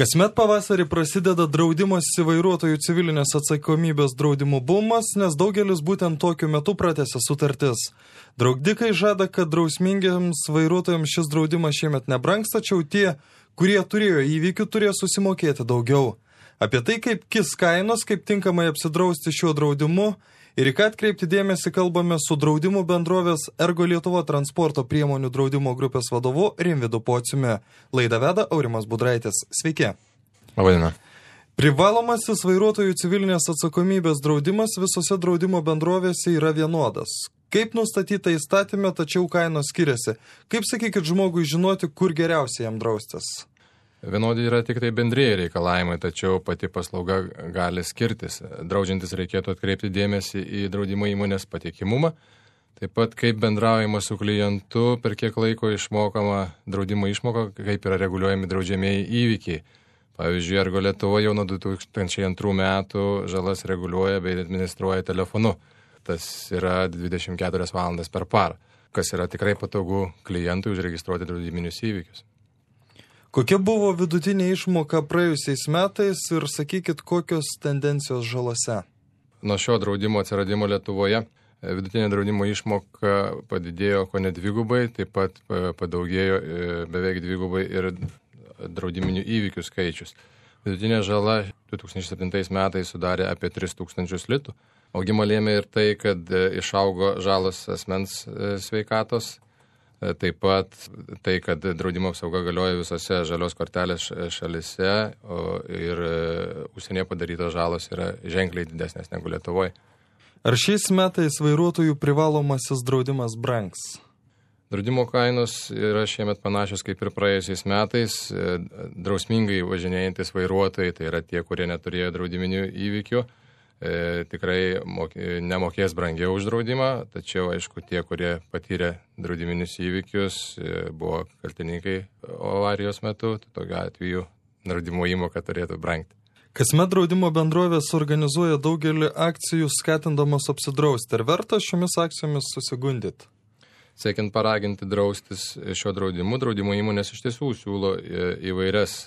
Kasmet pavasarį prasideda draudimosi vairuotojų civilinės atsakomybės draudimų bumas, nes daugelis būtent tokiu metu pratęsia sutartis. Draudikai žada, kad drausmingiams vairuotojams šis draudimas šiemet nebrangs, tačiau tie, kurie turėjo įvykių, turės susimokėti daugiau. Apie tai, kaip kis kainos, kaip tinkamai apsidrausti šiuo draudimu ir į ką atkreipti dėmesį, kalbame su draudimų bendrovės Ergo Lietuva transporto priemonių draudimo grupės vadovu Rimvydu Pociumi. Laidą veda Aurimas Budraitis. Sveiki. Labadiena. Privalomasis vairuotojų civilinės atsakomybės draudimas visose draudimo bendrovėse yra vienodas. Kaip nustatyta įstatymė, tačiau kainos skiriasi. Kaip, sakykit, žmogui žinoti, kur geriausiai jam draustis? Vienodi yra tik tai bendrieji reikalavimai, tačiau pati paslauga gali skirtis. Draudžiantis reikėtų atkreipti dėmesį į draudimo įmonės patikimumą, taip pat kaip bendraujama su klientu, per kiek laiko išmokama draudimo išmoka, kaip yra reguliuojami draudžiamieji įvykiai. Pavyzdžiui, Ergo Lietuva jau nuo 2002 metų žalas reguliuoja bei administruoja telefonu. Tas yra 24 valandas per parą, kas yra tikrai patogu klientui užregistruoti draudiminius įvykius. Kokia buvo vidutinė išmoka praėjusiais metais ir sakykit, kokios tendencijos žalose? Nuo šio draudimo atsiradimo Lietuvoje vidutinė draudimo išmoka padidėjo kone dvigubai, taip pat padaugėjo beveik dvigubai ir draudiminių įvykių skaičius. Vidutinė žala 2007 metais sudarė apie 3000 litų. Augimą lėmė ir tai, kad išaugo žalos asmens sveikatos. Taip pat tai, kad draudimo apsauga galioja visose žalios kortelės šalise ir užsienyje padarytos žalos yra ženkliai didesnės negu Lietuvoje. Ar šiais metais vairuotojų privalomasis draudimas brangs? Draudimo kainos yra šiemet panašios kaip ir praėjusiais metais. Drausmingai važinėjantis vairuotojai, tai yra tie, kurie neturėjo draudiminių įvykių, tikrai nemokės brangiau už draudimą, tačiau, aišku, tie, kurie patyrė draudiminius įvykius, buvo kaltininkai avarijos metu, tai tokiu atveju draudimo įmoka turėtų brangti. Kasmet draudimo bendrovės organizuoja daugelį akcijų skatindamos apsidrausti. Ar verta šiomis akcijomis susigundyti? Siekiant paraginti draustis šio draudimu, draudimo įmonės iš tiesų siūlo įvairias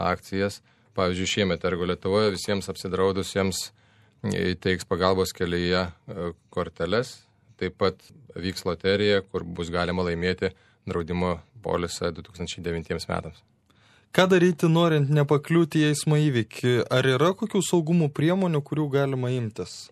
akcijas. Pavyzdžiui, šiemet Ergo Lietuvoje visiems apsidraudusiems teiks pagalbos kelyje korteles, taip pat vyks loterija, kur bus galima laimėti draudimo polisą 2009 metams. Ką daryti, norint nepakliūti į eismo įvykį? Ar yra kokių saugumo priemonių, kurių galima imtis?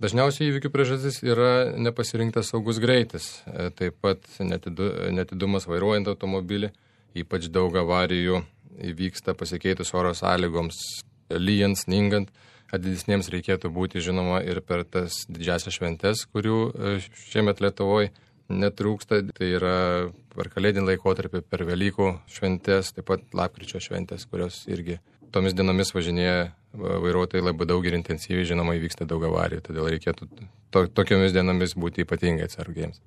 Dažniausiai įvykių priežastis yra nepasirinktas saugus greitis, taip pat netidumas vairuojant automobilį, ypač daug avarijų įvyksta pasikeitus oro sąlygoms, lyjant, sningant. Didesniems reikėtų būti žinoma ir per tas didžiasias šventes, kurių šiemet Lietuvoje netrūksta. Tai yra per kalėdinį laikotarpį, per Velykų šventes, taip pat lapkričio šventes, kurios irgi tomis dienomis važinėja vairuotojai labai daug ir intensyviai, žinoma, įvyksta daug avarijų. Todėl reikėtų tokiomis dienomis būti ypatingai atsargiems.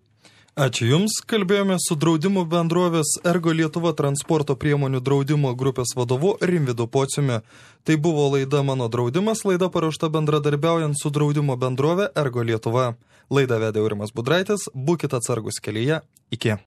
Ačiū Jums. Kalbėjome su draudimo bendrovės Ergo Lietuva transporto priemonių draudimo grupės vadovu Rimvydu Pociumi. Tai buvo laida Mano draudimas, laida paruošta bendradarbiaujant su draudimo bendrove Ergo Lietuva. Laidą vedė Aurimas Budraitis, būkite atsargus kelyje. Iki.